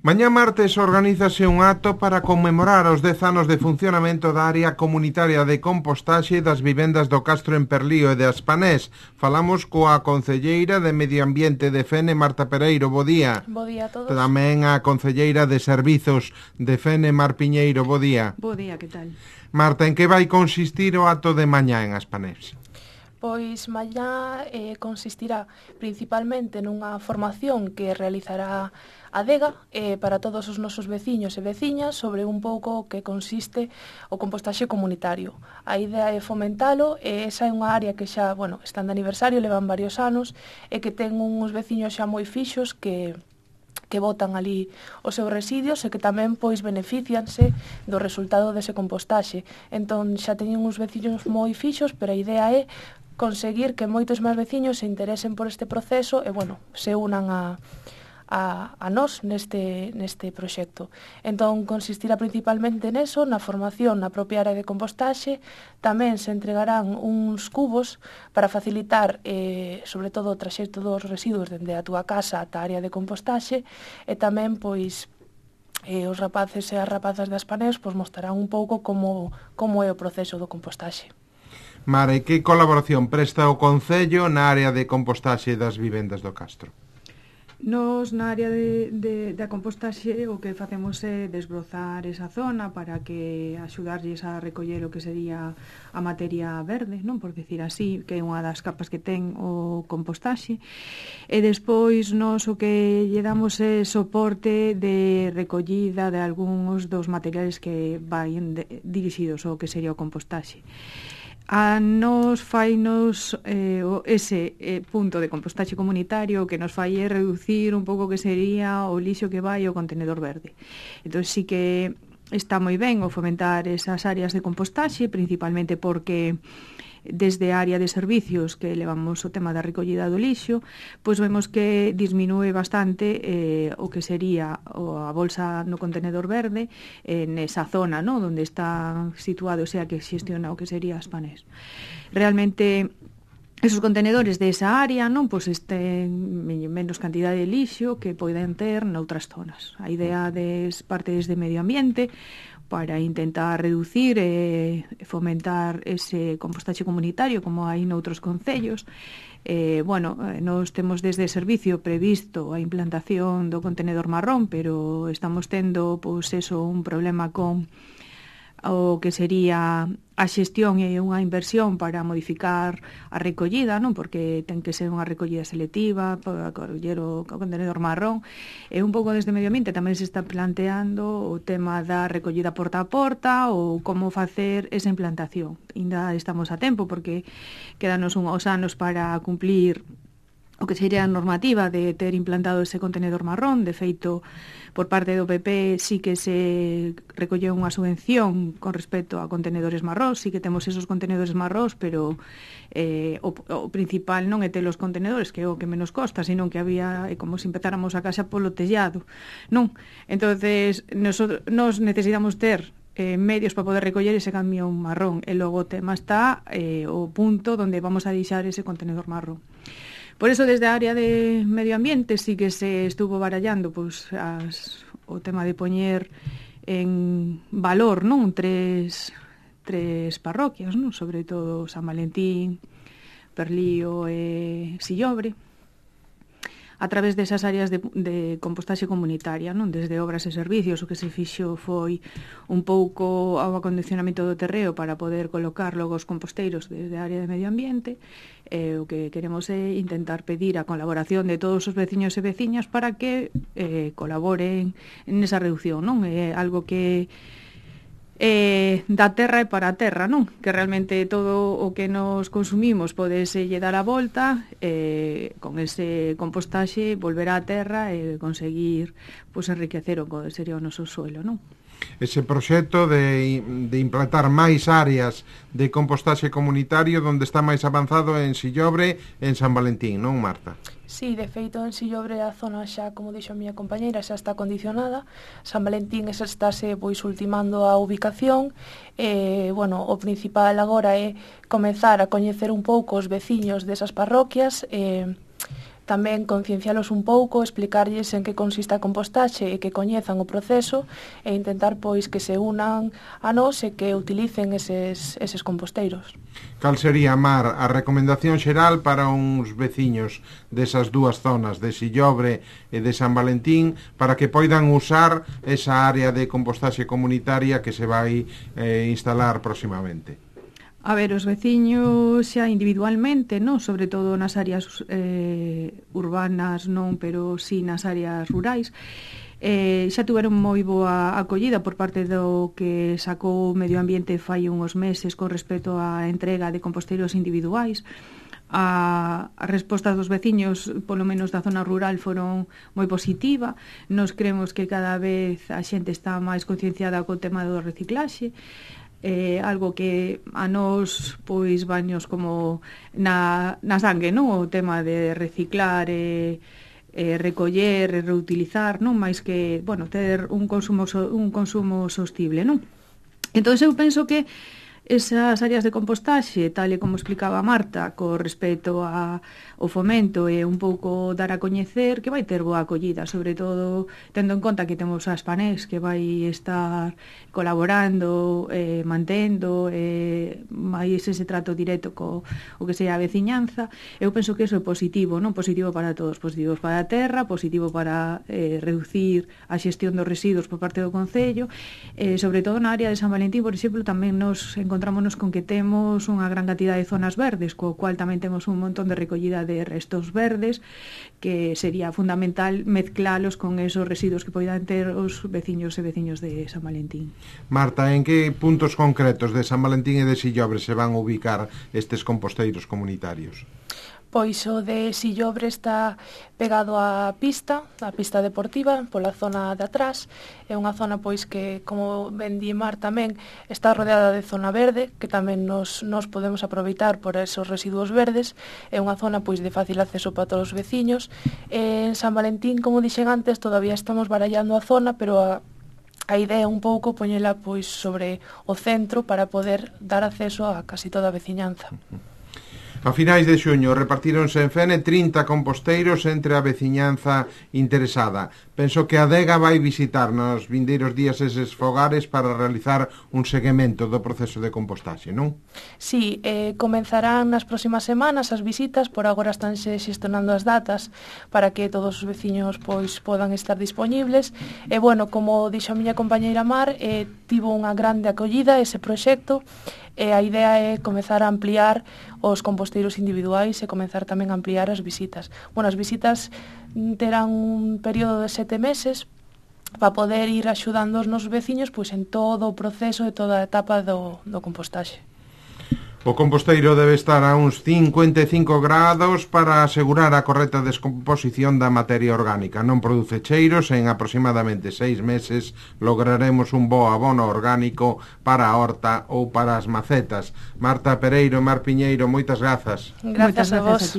Mañá martes organízase un acto para conmemorar os 10 anos de funcionamento da área comunitaria de compostaxe das vivendas do Castro en Perlío e de Aspanés. Falamos coa concelleira de Medio Ambiente de Fene, Marta Pereiro. Bo día. Bo día a todos. Tamén a concelleira de Servizos de Fene, Mar Piñeiro. Bo día. Bo día, que tal? Marta, en que vai consistir o acto de mañá en Aspanés? Pois mañá consistirá principalmente nunha formación que realizará a DEGA para todos os nosos veciños e veciñas sobre un pouco o que consiste o compostaxe comunitario. A idea é fomentalo e esa é unha área que xa, están de aniversario, levan varios anos e que ten uns veciños xa moi fixos que botan ali os seus residuos e que tamén pois beneficianse do resultado dese compostaxe. Entón xa teñen uns veciños moi fixos, pero a idea é conseguir que moitos máis veciños se interesen por este proceso e, se unan a nós neste proxecto. Entón, consistirá principalmente neso, na formación na propia área de compostaxe. Tamén se entregarán uns cubos para facilitar, sobre todo, o traxecto dos residuos dende a túa casa ata a área de compostaxe, e tamén, pois, os rapaces e as rapazas das Aspanés mostrarán un pouco como é o proceso do compostaxe. Mara, e que colaboración presta o Concello na área de compostaxe das vivendas do Castro? Nos na área da compostaxe o que facemos é desbrozar esa zona para que axudarlles a recoller o que sería a materia verde, non por decir así, que é unha das capas que ten o compostaxe, e despois nos o que lle damos é soporte de recollida de algúns dos materiais que vayan dirixidos ao que sería o compostaxe. A nos fainos ese punto de compostaxe comunitario que nos fai é reducir un pouco que sería o lixo que vai ao contenedor verde. Entón sí que está moi ben o fomentar esas áreas de compostaxe, principalmente porque desde a área de servicios que levamos o tema da recollida do lixo, pois vemos que disminúe bastante o que sería a bolsa no contenedor verde nesa zona, ¿no?, onde está situado, o sea, que xestiona o que sería Aspanés. Realmente esos contenedores desa área, non, pois ten menos cantidade de lixo que poden ter noutras zonas. A idea das partes de medio ambiente para intentar reducir e fomentar ese compostaxe comunitario como hai noutros concellos. Nos temos desde servicio previsto a implantación do contenedor marrón, pero estamos tendo un problema con o que sería a xestión e unha inversión para modificar a recollida, non? Porque ten que ser unha recollida selectiva para coller o contenedor marrón. E un pouco desde Medio Ambiente tamén se está planteando o tema da recollida porta a porta ou como facer esa implantación. Ainda estamos a tempo porque quedanos uns anos para cumplir o que sería a normativa de ter implantado ese contenedor marrón. De feito, por parte do PP sí que se recolleu unha subvención con respecto a contenedores marróns, sí que temos esos contenedores marróns, pero o principal non é ter os contenedores, que é o que menos costa, sino que había, como se empezáramos a casa polo tellado, non? Entonces, nos necesitamos ter medios para poder recoller ese camión marrón, e logo o tema está o punto onde vamos a deixar ese contenedor marrón. Por eso, desde a área de medio ambiente sí que se estuvo barallando o tema de poñer en valor, non, tres parroquias, non, sobre todo San Valentín, Perlío e Sillobre, a través desas áreas de compostaxe comunitaria, non? Desde obras e servicios, o que se fixo foi un pouco ao acondicionamento do terreo para poder colocar logo os composteiros desde a área de medio ambiente. O que queremos é intentar pedir a colaboración de todos os veciños e veciñas para que colaboren nesa reducción, non? É algo que da terra e para a terra, non? Que realmente todo o que nos consumimos podese lle dar a volta, con ese compostaxe volver á terra e conseguir enriquecer o que sería o noso suelo, non? Ese proxecto de implantar máis áreas de compostaxe comunitario onde está máis avanzado en Sillobre e en San Valentín, non, Marta? Sí, de feito, en Sillobre a zona xa, como dixo a miña compañeira, xa está condicionada. San Valentín estáse ultimando a ubicación. O principal agora é comezar a coñecer un pouco os veciños desas parroquias, tamén conciencialos un pouco, explicarlles en que consiste a compostaxe e que coñezan o proceso e intentar pois que se unan a nós e que utilicen eses composteiros. Cal sería, Mar, a recomendación xeral para uns veciños desas dúas zonas, de Sillobre e de San Valentín, para que poidan usar esa área de compostaxe comunitaria que se vai instalar próximamente? A ver, os veciños xa individualmente, non? Sobre todo nas áreas urbanas, non, pero sí nas áreas rurais, xa tuveron moi boa acollida por parte do que sacou o Medio Ambiente fai uns meses con respecto á entrega de composteiros individuais. A resposta dos veciños, polo menos da zona rural, foron moi positiva. Nos creemos que cada vez a xente está máis concienciada co tema do reciclaxe, algo que a nós pois baños como na sangue, non? O tema de reciclar recoller e reutilizar, non? Mais que, bueno, ter un consumo sostible, non? Entón eu penso que esas áreas de compostaxe, tal e como explicaba Marta, co respecto ao fomento e un pouco dar a coñecer, que vai ter boa acollida, sobre todo tendo en conta que temos a Spanés que vai estar colaborando, mantendo máis ese trato directo co o que sea a veciñanza. Eu penso que iso é positivo, non? Positivo para todos, positivo para a terra, positivo para reducir a xestión dos residuos por parte do Concello, sobre todo na área de San Valentín, por exemplo, tamén nos encontrámonos con que temos unha gran cantidad de zonas verdes, co cual tamén temos un montón de recollida de restos verdes, que sería fundamental mezclalos con esos residuos que poidan ter os veciños e veciños de San Valentín. Marta, en que puntos concretos de San Valentín e de Sillobre se van a ubicar estes composteiros comunitarios? Pois o de Sillobre está pegado á pista deportiva, pola zona de atrás. É unha zona pois que, como ben di Mar tamén, está rodeada de zona verde, que tamén nos podemos aproveitar por esos residuos verdes. É unha zona pois de fácil acceso para todos os veciños. En San Valentín, como dixen antes, todavía estamos barallando a zona, pero a idea é un pouco poñela pois sobre o centro para poder dar acceso a casi toda a veciñanza. A finais de xuño repartíronse en Fene 30 composteiros entre a veciñanza interesada. Penso que a Adega vai visitar nos vindeiros días eses fogares para realizar un seguimento do proceso de compostaxe, non? Sí, comenzarán nas próximas semanas as visitas, por agora estánse xestionando as datas para que todos os veciños pois podan estar dispoñibles. E bueno, como dixo a miña compañeira Mar, tivo unha grande acollida ese proxecto. E a idea é comezar a ampliar os composteiros individuais e comezar tamén a ampliar as visitas. Bueno, as visitas terán un período de 7 meses para poder ir axudando os nosos veciños pois en todo o proceso e toda a etapa do compostaxe. O composteiro debe estar a uns 55 grados para asegurar a correcta descomposición da materia orgánica. Non produce cheiros e en aproximadamente 6 meses lograremos un bo abono orgánico para a horta ou para as macetas. Marta Pereiro e Mar Piñeiro, moitas grazas. Grazas a vos.